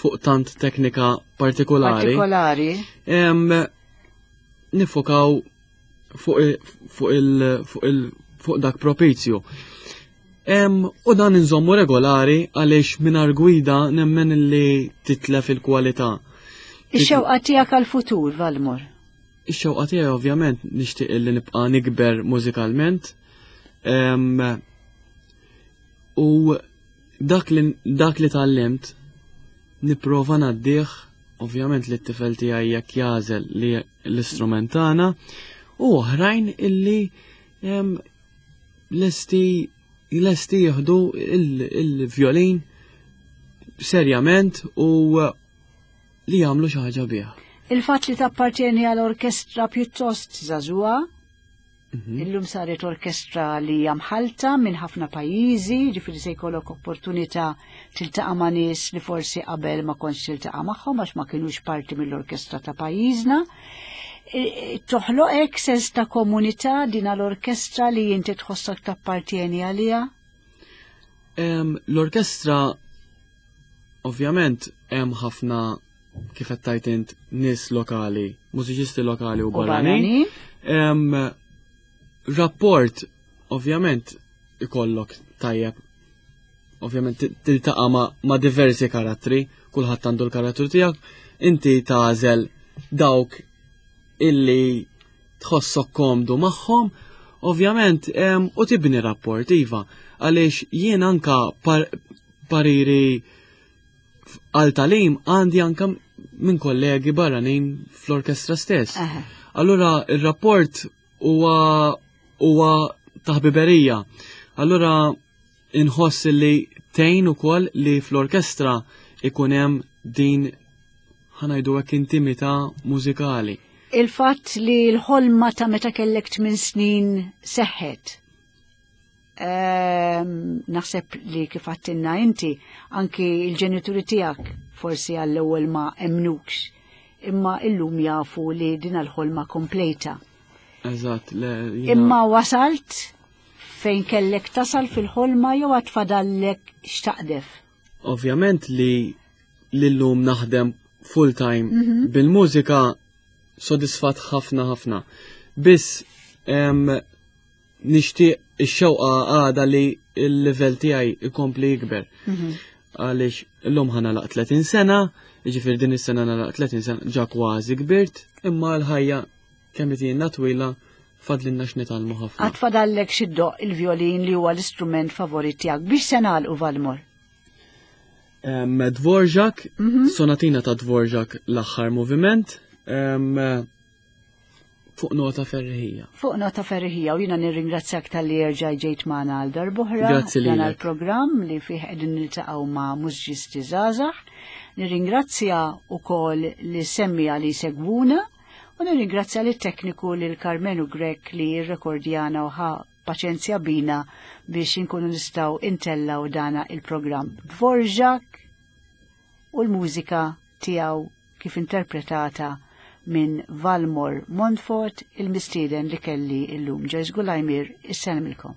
fuq tant teknika partikolari. Partikolari. Nifokaw fuq il fuq il fuq dak propizju. U dan inżommu regolari għaliex mingħajr gwida nemmen li titlef il-kwalità. Ix-xewqa tiegħek għall-futur, Valmor? Ix-xewqa tiegħi ovvjament nixtieq li nibqa' nikber mużikalment. U dak li dak li tgħallimt nipprova ngħaddih ovvjament li t-tifel tiegħi jekk jagħżel li l-istrument tagħna u oħrajn illi lesti lesti jieħdu il-vjolin serjament u li jagħmlu xi ħaġa bih. Il-fatt li tappartjeni għal orkestra pjuttost żagħżugħa, illum saret orkestra li hija mħallta minn ħafna pajjiżi, ġifieri se jkollok opportunità tiltaqa' ma' nies li forsi qabel ma kontx tiltaqa' magħhom għax ma kinux parti mill-orkestra ta' pajjiżna. Toħloqek sens ta' komunità din l-orkestra li inti tħossok tappartjeni għaliha? L-orkestra ovvjament hemm ħafna kif qed tgħid int nies lokali, mużiċisti lokali u barranin. Rapport ovvjament ikollok tajjeb. Ovvjament tiltaqa' ma, ma diversi karattri, kulħadd għandu l-karattru tiegħek, inti tagħżel dawk illi tħossok komdu magħhom, ovvjament u tibni rapport iva, għaliex jien anka par pariri għal talim għandi anka minn kollegi barranin fl-orkestra stess. Allura il-rapport huwa huwa ta' ħbiberija. Allura inħoss li tgħin ukoll li fl-orkestra ikun hemm din ħanajdu hekk intimità mużikali. Il-fatt li l-ħolma ta' meta kellek 8 snin seħħet. Naħseb li kif għattinna inti, anki il-ġenituri tiegħek forsi għall-ewwel ma emnukx, imma illum jafu li din l-ħolma kompleta. Eżatt, Imma wasalt fejn kellek tasal fil-ħolma jew għad fadallek x'taqdef? Ovvjament li l-lum naħdem full time bil-mużika sodisfat ħafna ħafna. Biss nixtieq ix-xewqa għada li l-livell tiegħi ikompli jikber. Għaliex illum ħa nagħlaq 30 sena, jiġifieri din is-sena nagħlaq 30 sena ġa kważi kbirt, imma l-ħajja kemm itina twila fadlinna x'nitgħallmu ħafna. Għad fadallek xi ddoqq il-vjolin li huwa l-istrument favorit tiegħek. Biex se nagħlqu Valmor? Dvorak, sonatina ta' Dvorak l-aħħar moviment, fuq nota ferriħija. Fuq nota ferriħija u jiena nirringrazzjak talli erġa' ġejt magħna għal darb'oħra. Grazzi Dan lilek. għall-programm li fih qegħdin niltaqgħu ma' mużiċisti żgħażagħ. Nirringrazzja wkoll li semmija li segwuna u nirringrazzja lit tekniku lil Carmenu Grech li rrekordjana u ħa paċenzja bina biex inkunu nistgħu intellaw dana il-programm. Dvorak u l-mużika tiegħu kif interpretata minn Valmor Montfort, il-mistieden li kelli illum. Joyce Gulajmir, isselmilkom.